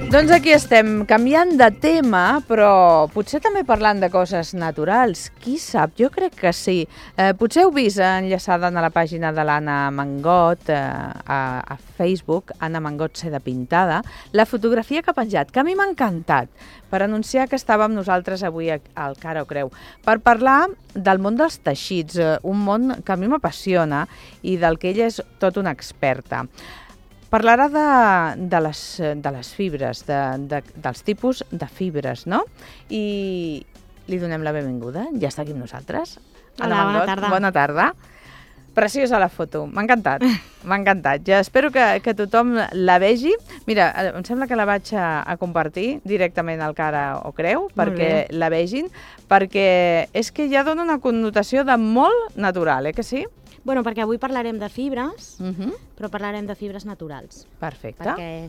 Doncs aquí estem, canviant de tema, però potser també parlant de coses naturals. Qui sap? Jo crec que sí. Potser heu vist enllaçada a la pàgina de l'Anna Mangot a Facebook, Anna Mangot Seda Pintada, la fotografia que ha penjat, que a mi m'ha encantat, per anunciar que estàvem nosaltres avui al Cara o Creu, per parlar del món dels teixits, un món que a mi m'apassiona i del que ella és tot una experta. Parlarà de les fibres, dels tipus de fibres, no? I li donem la benvinguda. Ja està aquí amb nosaltres. Hola, bona tarda. Bona tarda. Preciosa la foto. M'ha encantat. M'ha encantat. Ja espero que tothom la vegi. Mira, em sembla que la vaig a compartir directament al Cara o Creu perquè la vegin, perquè és que ja dona una connotació de molt natural, que sí? Bueno, perquè avui parlarem de fibres, però parlarem de fibres naturals. Perfecte. Perquè,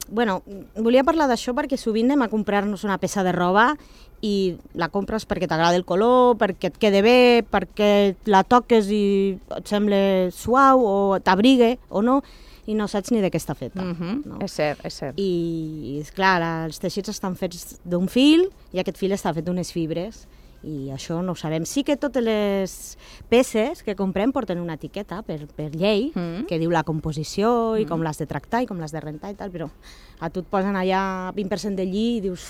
bueno, volia parlar d'això perquè sovint anem a comprar-nos una peça de roba i la compres perquè t'agrada el color, perquè et quede bé, perquè la toques i et sembla suau o t'abrigue o no, i no saps ni de què està feta. No? És cert, és cert. I, esclar, els teixits estan fets d'un fil i aquest fil està fet d'unes fibres. I això no ho sabem. Sí que totes les peces que comprem porten una etiqueta per llei que diu la composició i com l'has de tractar i com l'has de rentar i tal, però a tu et posen allà 20% de lli i dius,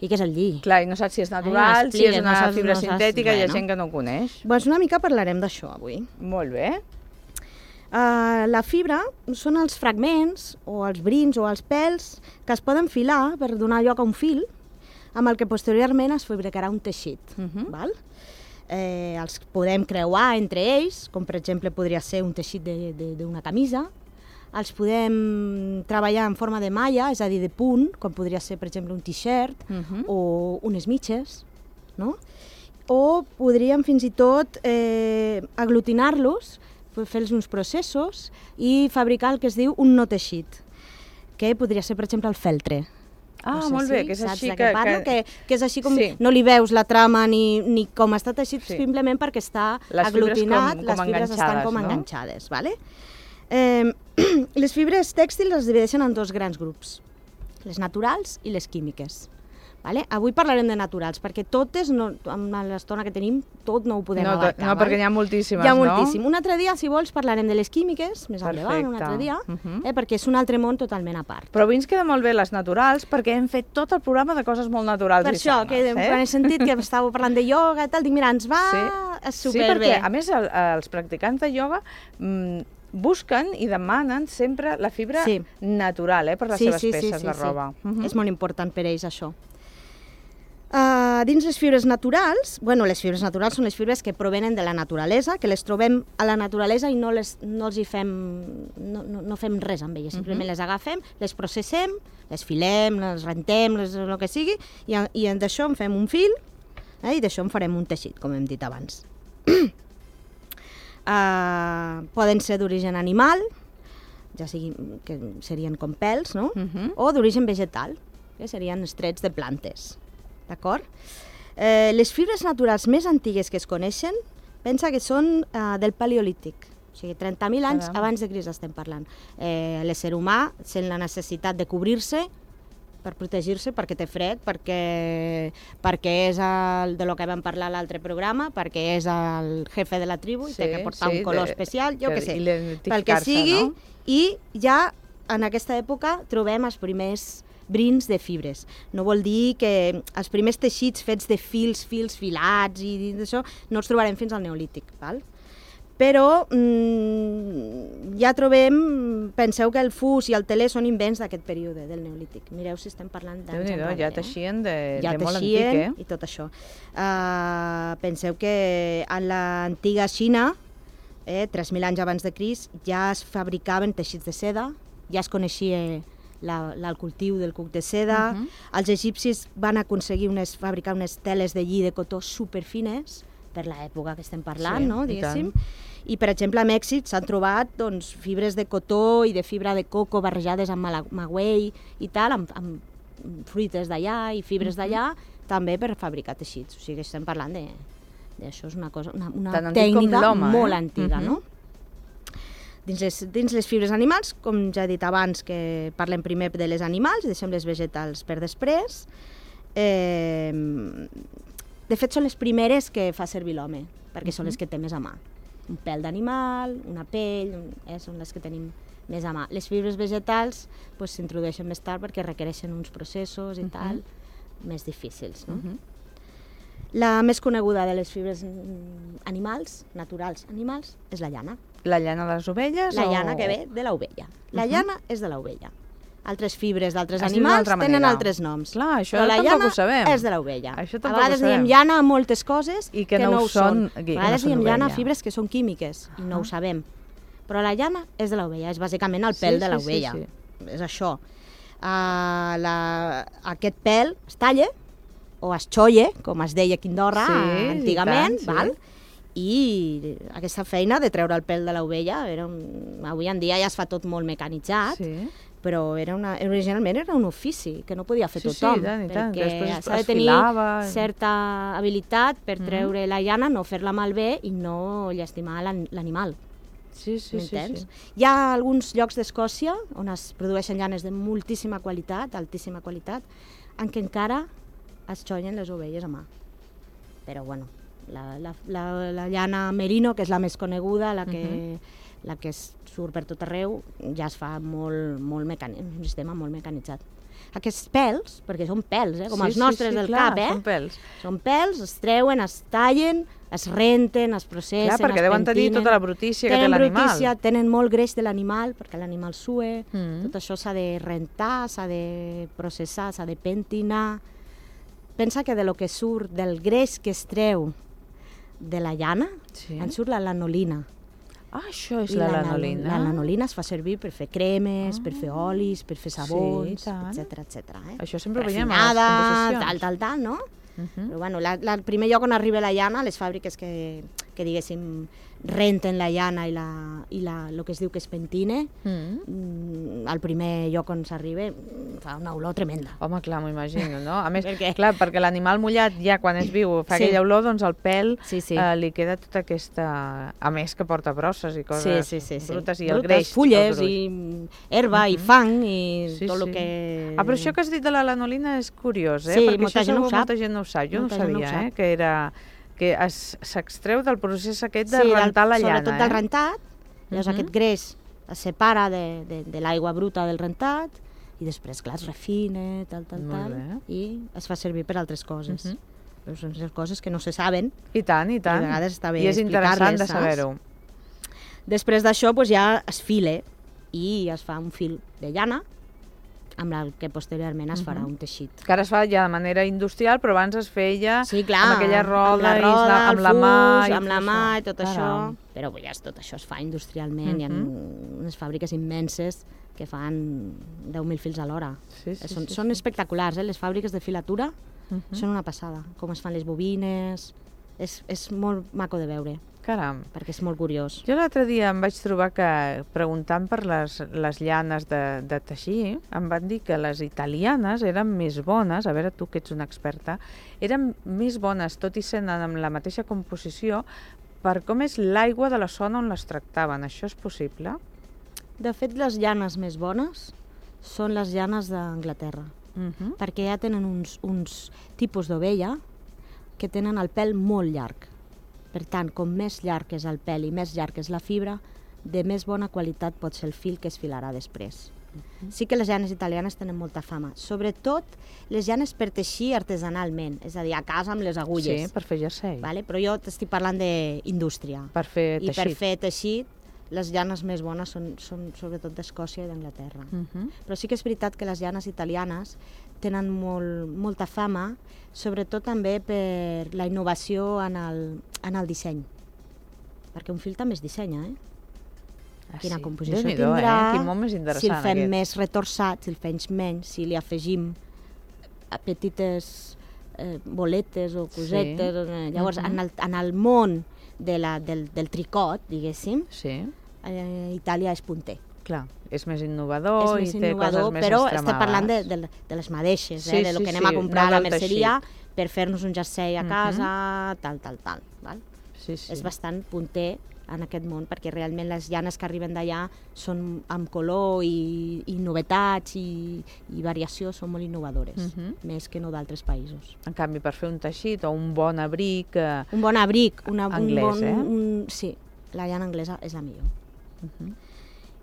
i què és el lli? Clar, i no saps si és natural, si és una fibra sintètica, hi ha gent que no ho coneix. Doncs una mica parlarem d'això avui. Molt bé. La fibra són els fragments o els brins o els pèls que es poden filar per donar lloc a un fil amb el que posteriorment es fabricarà un teixit. Val? Els podem creuar entre ells, com per exemple podria ser un teixit d'una camisa, els podem treballar en forma de malla, és a dir, de punt, com podria ser per exemple un t-shirt o unes mitges, no? O podríem fins i tot aglutinar-los, fer-los uns processos i fabricar el que es diu un no teixit, que podria ser per exemple el feltre. Ah, no sé, molt bé, que és així que és així com no li veus la trama ni com està teixit, simplement perquè està aglutinat, les fibres estan com enganxades. Vale? Les fibres tèxtils es divideixen en dos grans grups, les naturals i les químiques. Vale? Avui parlarem de naturals, perquè totes, amb l'estona que tenim, tot no ho podem abarcar. No, perquè n'hi ha moltíssimes, no? Hi ha moltíssim. Un altre dia, si vols, parlarem de les químiques, més endavant, un altre dia, perquè és un altre món totalment a part. Però avui ens queden molt bé les naturals, perquè hem fet tot el programa de coses molt naturals i sanes. Per això, quan he sentit que estàveu parlant de ioga i tal, dic, mira, ens va superbé. Sí, perquè, a més, els practicants de ioga busquen i demanen sempre la fibra natural per les seves peces de roba. És molt important per ells, això. Dins les fibres naturals, les fibres naturals són les fibres que provenen de la naturalesa, que les trobem a la naturalesa i no fem res amb elles, simplement les agafem, les processem, les filem, les rentem, el que sigui, i d'això en fem un fil i d'això en farem un teixit, com hem dit abans. Poden ser d'origen animal, ja sigui que serien com pèls, no? O d'origen vegetal, que serien estrets de plantes. D'acord? Les fibres naturals més antigues que es coneixen, pensa que són del Paleolític, o sigui, 30.000 anys abans de Crist estem parlant. L'ésser humà sent la necessitat de cobrir-se per protegir-se, perquè té fred, perquè és de lo que vam parlar a l'altre programa, perquè és el jefe de la tribu i té que portar un color especial, jo què sé, pel que sigui, i ja en aquesta època trobem els primers brins de fibres. No vol dir que els primers teixits fets de fils filats i d'això no els trobarem fins al Neolític, val? Però ja trobem, penseu que el fus i el teler són invents d'aquest període del Neolític. Mireu si estem parlant d'anys enrere. Ja teixien de molt antic, i tot això. Penseu que en l'antiga Xina, 3.000 anys abans de Crist, ja es fabricaven teixits de seda, ja es coneixia el cultiu del cuc de seda. Els egipcis van aconseguir fabricar unes teles de lli de cotó superfines per l'època que estem parlant, no? Diguéssim. I, per exemple, a Mèxic s'han trobat fibres de cotó i de fibra de coco barrejades amb maguei i tal, amb fruites d'allà i fibres d'allà, també per fabricar teixits. O sigui, estem parlant d'això, és una tècnica molt antiga, no? Dins les fibres animals, com ja he dit abans, que parlem primer de les animals i deixem les vegetals per després. De fet, són les primeres que fa servir l'home, perquè són les que té més a mà. Un pèl d'animal, una pell, són les que tenim més a mà. Les fibres vegetals s'introdueixen més tard perquè requereixen uns processos i tal més difícils. No? La més coneguda de les fibres animals, naturals animals, és la llana. La llana de les ovelles? La llana que ve de l'ovella. La llana és de l'ovella. Altres fibres d'altres animals tenen altres noms. Clar, això però la tampoc llana ho sabem. és de l'ovella. A vegades diem llana a moltes coses i que no ho són. A vegades diem llana a fibres que són químiques i no ho sabem. Però la llana és de l'ovella, és bàsicament el pèl de l'ovella. És això. Aquest pèl es talla o es xolla, com es deia aquí a Andorra antigament, i aquesta feina de treure el pèl de l'ovella, avui en dia ja es fa tot molt mecanitzat, però originalment era un ofici que no podia fer tothom, perquè s'ha de tenir certa habilitat per treure la llana, no fer-la malbé i no llastimar l'animal. M'entens? Hi ha alguns llocs d'Escòcia on es produeixen llanes de moltíssima qualitat, altíssima qualitat, en què encara es xollen les ovelles a mà. Però, bueno, la llana merino, que és la més coneguda, la que surt per tot arreu, ja es fa un sistema molt mecanitzat. Aquests pèls, perquè són pèls, com els nostres del cap, són pèls, es treuen, es tallen, es renten, es processen, es pentinen. Clar, perquè deuen tenir tota la brutícia que té l'animal. Tenen molt greix de l'animal, perquè l'animal sue, tot això s'ha de rentar, s'ha de processar, s'ha de pentinar. Pensa que del que surt, del greix que es treu de la llana, en surt la lanolina. Ah, això és la lanolina. La lanolina es fa servir per fer cremes, per fer olis, per fer sabons, etc. Això sempre ho veiem a les composicions. Tal, no? Però, bueno, el primer lloc on arriba la llana, les fàbriques que diguéssim, renten la llana i el que es diu que es pentine, el primer lloc on s'arriba fa una olor tremenda. Home, clar, m'ho imagino, no? A més, clar, perquè l'animal mullat ja quan és viu fa aquella olor, doncs al pèl li queda tota aquesta... A més que porta brosses i coses brutes i el greix. Fulles i herba i fang i tot el que... Ah, però això que has dit de la lanolina és curiós, perquè això segur molta gent no ho sap. Jo no ho sabia, que era... que s'extreu del procés aquest de rentar la llana. Sobretot del rentat, llavors aquest greix es separa de l'aigua bruta del rentat i després, clar, es refina, tal, i es fa servir per altres coses. Però són coses que no se saben. I tant. I a vegades està bé explicar-les. I és interessant de saber-ho. Després d'això ja es fila i es fa un fil de llana, amb el que posteriorment es farà un teixit. Que ara es fa ja de manera industrial, però abans es feia amb aquella roda, amb la mà i tot això. Però tot això es fa industrialment. Hi ha unes fàbriques immenses que fan 10.000 fils a l'hora. Són espectaculars, les fàbriques de filatura són una passada. Com es fan les bobines, és molt maco de veure. Caram. Perquè és molt curiós. Jo l'altre dia em vaig trobar que, preguntant per les llanes de teixir, em van dir que les italianes eren més bones, a veure tu que ets una experta, eren més bones, tot i sent amb la mateixa composició, per com és l'aigua de la zona on les tractaven. Això és possible? De fet, les llanes més bones són les llanes d'Anglaterra, perquè ja tenen uns tipus d'ovella que tenen el pèl molt llarg. Per tant, com més llarg és el pèl i més llarg és la fibra, de més bona qualitat pot ser el fil que es filarà després. Sí que les llanes italianes tenen molta fama, sobretot les llanes per teixir artesanalment, és a dir, a casa amb les agulles. Sí, per fer jersei. Però jo t'estic parlant d'indústria. Per fer teixit. I per fer teixit, les llanes més bones són sobretot d'Escòcia i d'Anglaterra. Però sí que és veritat que les llanes italianes tenen molta fama, sobretot també per la innovació en el disseny. Perquè un fil també es dissenya, Quina composició tindrà, quin món més interessant si el fem més retorçat, si el fem menys, si li afegim petites boletes o cosetes. Llavors, en el món del tricot, diguéssim, Itàlia és punter. Clar, és més innovador i té coses més però extremades. estem parlant de les mateixes, de lo que anem a comprar a la merceria per fer-nos un jersei a casa, tal. És bastant punter en aquest món, perquè realment les llanes que arriben d'allà són amb color i novetats i variació, són molt innovadores, més que no d'altres països. En canvi, per fer un teixit o un bon abric... Un bon abric, anglès, sí, la llana anglesa és la millor.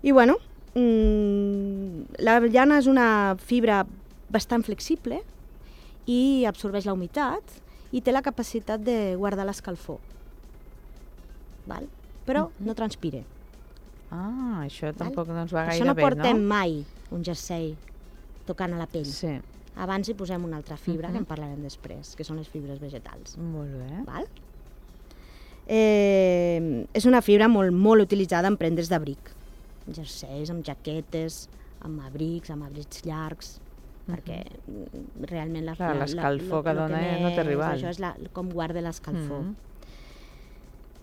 I bueno, la llana és una fibra bastant flexible i absorbeix la humitat i té la capacitat de guardar l'escalfor. Però no transpira. Ah, això tampoc no ens va gaire bé, no? Això no portem mai un jersei tocant a la pell. Sí. Abans hi posem una altra fibra, que en parlarem després, que són les fibres vegetals. Molt bé. És una fibra molt utilitzada en prendes d'abric. Jerseis, amb jaquetes, amb abrics llargs, perquè realment l'escalfor que dona no té rival. Això és com guarda l'escalfor.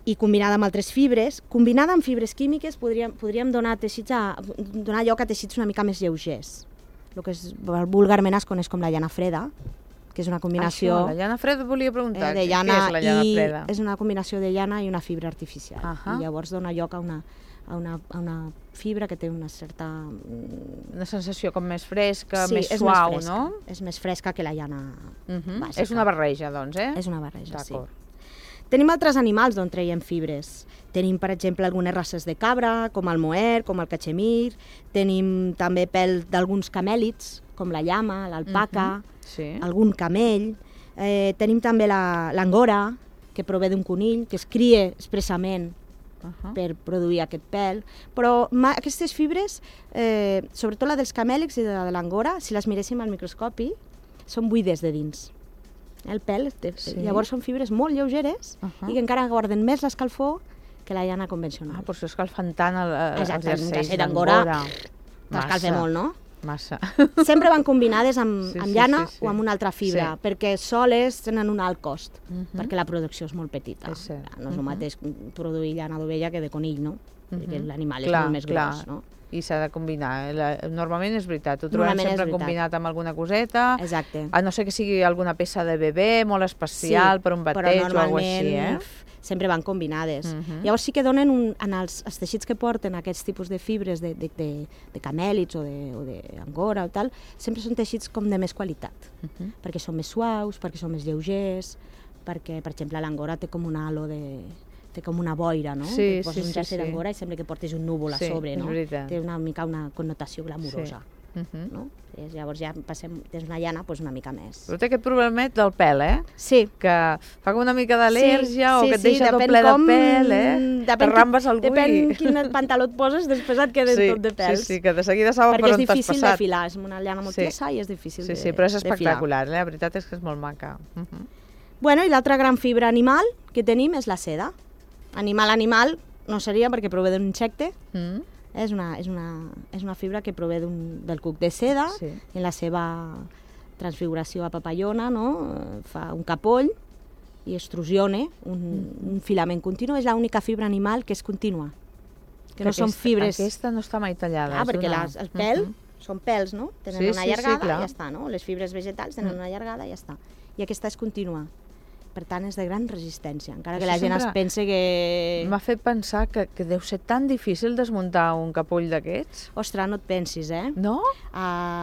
I combinada amb altres fibres, combinada amb fibres químiques, podríem donar lloc a teixits una mica més lleugers. El que vulgarment es coneix com la llana freda, que és una combinació... Això, la llana freda volia preguntar, què és la llana freda? És una combinació de llana i una fibra artificial. I llavors dona lloc a una fibra que té una certa... Una sensació com més fresca, més suau, no? És més fresca que la llana bàsica. És una barreja, doncs, És una barreja, sí. Tenim altres animals d'on traiem fibres. Tenim, per exemple, algunes races de cabra, com el moher, com el cachemir. Tenim també pèl d'alguns camèlids, com la llama, l'alpaca, algun camell. Tenim també l'angora, que prové d'un conill, que es cria expressament per produir aquest pèl. Però aquestes fibres, sobretot la dels camèlids i de l'angora, si les miréssim al microscopi, són buides de dins. El pèl, llavors són fibres molt lleugeres i que encara guarden més l'escalfor que la llana convencional. Per això escalfen tant els jerseis d'angora. T'escalfa molt, no? Massa. Sempre van combinades amb llana o amb una altra fibra, perquè soles tenen un alt cost, perquè la producció és molt petita. No és el mateix produir llana d'ovella que de conill, no? Perquè l'animal és molt més gros, no? I s'ha de combinar. Normalment és veritat, ho trobem sempre combinat amb alguna coseta, a no ser que sigui alguna peça de bebè molt especial per un bateig o alguna cosa així, sempre van combinades. Llavors sí que donen, en els teixits que porten aquests tipus de fibres de camèlids o d'angora o tal, sempre són teixits com de més qualitat, perquè són més suaus, perquè són més lleugers, perquè, per exemple, l'angora té com un halo té com una boira, no? Sí, poses un jersei d'angora i sembla que portes un núvol a sobre, no? Té una mica una connotació glamurosa, no? Llavors ja tens una llana una mica més. Però té aquest problemet del pèl, Sí. Que fa com una mica d'al·lèrgia o que et deixa tot ple de pèl, T'arrambes algú i... Depèn quin pantaló et poses, després et queden tot de pèls. Sí, que de seguida saben per on t'has passat. Perquè és difícil de filar, és una llana molt tiesa i és difícil de filar. Sí, però és espectacular, la veritat és que és molt maca. Bueno, i l'altra gran fibra animal que tenim és la seda. Animal no seria perquè prové d'un insecte, és una fibra que prové del cuc de seda, en la seva transfiguració a papallona, fa un capoll i extrusiona un filament continu. És l'única fibra animal que és contínua, que no són fibres... Aquesta no està mai tallada. Perquè el pèl són pèls, no? Tenen una llargada i ja està, no? Les fibres vegetals tenen una llargada i ja està. I aquesta és contínua. Per tant, és de gran resistència, encara que la gent es pense que... M'ha fet pensar que deu ser tan difícil desmuntar un capoll d'aquests. Ostres, no et pensis, No?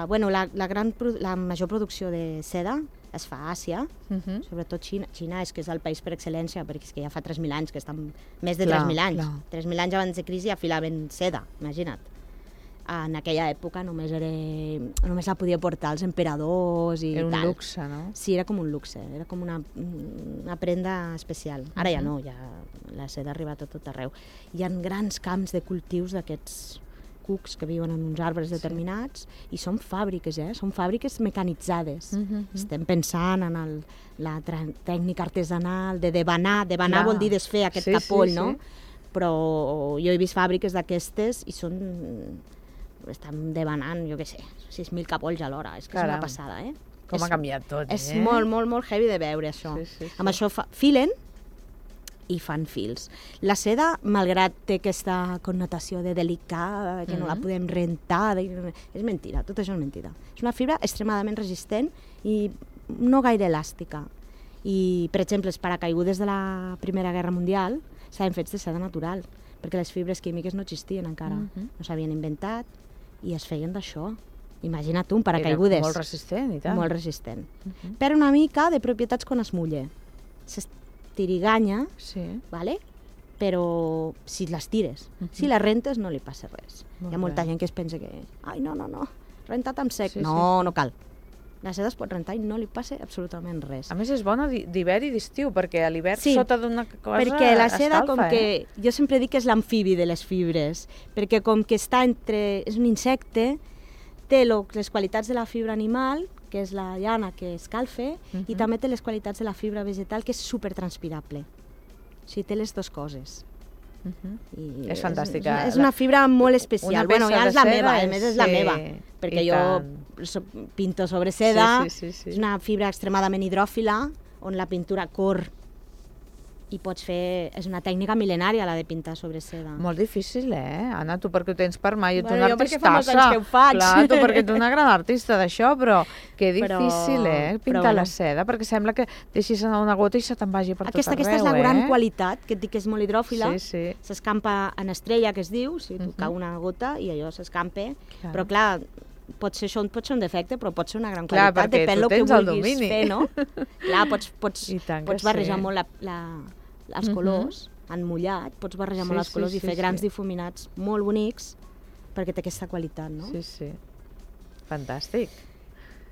Bueno, la major producció de seda es fa a Àsia, sobretot Xina. Xina és que és el país per excel·lència, perquè és que ja fa 3.000 anys, que estan més de 3.000 anys. 3.000 anys abans de crisi ja filaven seda, imagina't. En aquella època només la podia portar els emperadors i tal. Era un luxe, no? Sí, era com un luxe, era com una prenda especial. Ara ja no, ja la seda ha arribat a tot arreu. Hi ha grans camps de cultius d'aquests cucs que viuen en uns arbres determinats i són fàbriques, són fàbriques mecanitzades. Estem pensant en la tècnica artesanal de debanar. Debanar vol dir desfer aquest capoll, no? Però jo he vist fàbriques d'aquestes i estan debanant, jo què sé, 6.000 capolls a l'hora. És que és una passada, Com ha canviat tot, És molt, molt, molt heavy de veure, això. Amb això filen i fan fils. La seda, malgrat té aquesta connotació de delicada, que no la podem rentar, és mentida, tot això és mentida. És una fibra extremadament resistent i no gaire elàstica. I, per exemple, els paracaigudes de la Primera Guerra Mundial estaven fets de seda natural, perquè les fibres químiques no existien encara, no s'havien inventat i es feien d'això. Imagina't tu, un paracaigudes. Era molt resistent i tant. Molt resistent. Per una mica de propietats quan es mulla. S'estiriganya, vale? Però si les tires, si les rentes no li passa res. Hi ha molta gent que es pensa que ai, no, rentat amb sec. No cal. La seda es pot rentar i no li passa absolutament res. A més, és bona d'hivern i d'estiu, perquè a l'hivern sota d'una cosa perquè la seda, escalfa, com que jo sempre dic que és l'amfibi de les fibres, perquè com que està entre... és un insecte, té les qualitats de la fibra animal, que és la llana que escalfa, i també té les qualitats de la fibra vegetal, que és supertranspirable. O sigui, té les dues coses. És fantàstica. És una fibra molt especial. Bueno, ja és la meva, a més és la meva, perquè jo pinto sobre seda, és una fibra extremadament hidròfila, on la pintura corre i pots fer... És una tècnica mil·lenària, la de pintar sobre seda. Molt difícil, Anna? Tu perquè ho tens per mai, ets una artistassa. Jo perquè fa molts anys que ho faig. Clar, tu perquè ets una gran artista d'això, però que difícil, pintar la seda, perquè sembla que deixis anar una gota i se te'n vagi per tot arreu, Aquesta és la gran qualitat, que et dic que és molt hidròfila. S'escampa en estrella, que es diu, si tu cau una gota i allò s'escampa. Però clar, pot ser un defecte, però pot ser una gran qualitat, depèn del que vulguis fer, no? Clar, pots barrejar molt els colors, en mullat, pots barrejar molt els colors i fer grans difuminats molt bonics, perquè té aquesta qualitat, no? Sí. Fantàstic.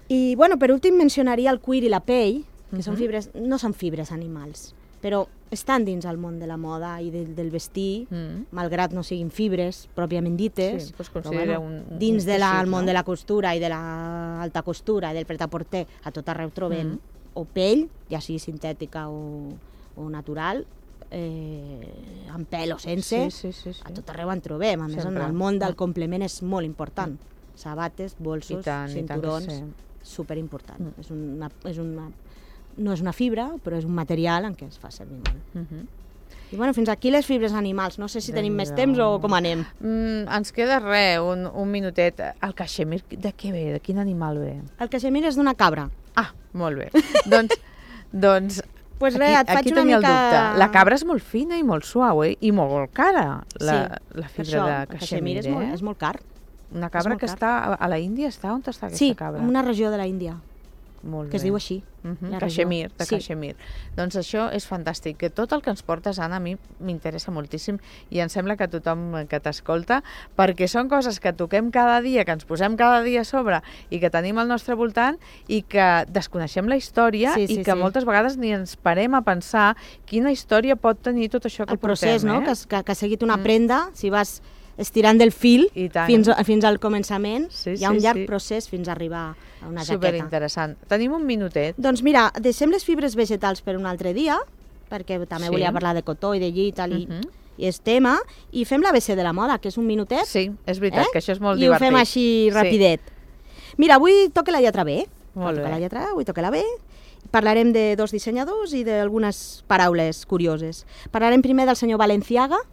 I, bueno, per últim mencionaria el cuir i la pell, que són fibres, no són fibres animals, però estan dins el món de la moda i del vestir, malgrat no siguin fibres pròpiament dites, però dins del món de la costura i de l'alta costura i del pret-a-porter a tot arreu trobem o pell, ja sigui sintètica o natural, amb pèl o sense, a tot arreu en trobem. A més, en el món del complement és molt important. Sabates, bolsos, cinturons, superimportant. No és una fibra, però és un material en què es fa servir molt. I bueno, fins aquí les fibres animals. No sé si tenim més temps o com anem. Ens queda un minutet. El caixemir, de què ve? De quin animal ve? El caixemir és d'una cabra. Ah, molt bé. Doncs pues res, aquí tenia el dubte. La cabra és molt fina i molt suau, i molt cara, la fibra de caixemir. És molt car. Una cabra que està a la Índia, on està aquesta cabra? Sí, en una regió de la Índia. Molt que es diu així. Caixemir, de Caixemir. Doncs això és fantàstic, que tot el que ens portes, Anna, a mi m'interessa moltíssim i em sembla que tothom que t'escolta, perquè són coses que toquem cada dia, que ens posem cada dia a sobre i que tenim al nostre voltant i que desconeixem la història i que moltes vegades ni ens parem a pensar quina història pot tenir tot això que portem. El procés, no? Que ha seguit una prenda, si vas estirant del fil fins al començament, hi ha un llarg procés fins a arribar a una jaqueta. Superinteressant. Tenim un minutet. Doncs mira, deixem les fibres vegetals per un altre dia, perquè també volia parlar de cotó i de lli i és tema, i fem l'ABC de la moda, que és un minutet. Sí, és veritat, que això és molt divertit. I ho fem així rapidet. Mira, avui toca la lletra B. Molt bé. Avui toca la B. Parlarem de dos dissenyadors i d'algunes paraules curioses. Parlarem primer del senyor Balenciaga.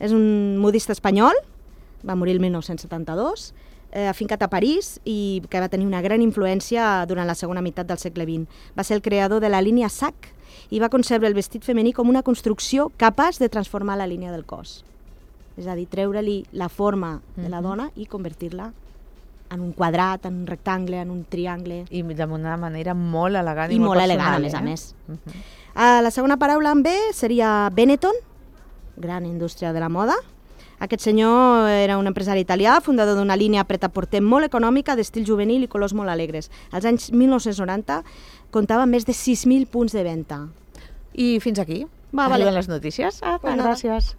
És un modista espanyol, va morir el 1972, afincat a París i que va tenir una gran influència durant la segona meitat del segle XX. Va ser el creador de la línia SAC i va concebre el vestit femení com una construcció capaç de transformar la línia del cos. És a dir, treure-li la forma de la dona i convertir-la en un quadrat, en un rectangle, en un triangle. I d'una manera molt elegant i molt personal. I molt elegant, a més. La segona paraula en B seria Benetton, gran indústria de la moda. Aquest senyor era un empresari italià, fundador d'una línia pret-a-porter molt econòmica, d'estil juvenil i colors molt alegres. Als anys 1990 comptava més de 6.000 punts de venda. I fins aquí. Arriben les notícies. Gràcies.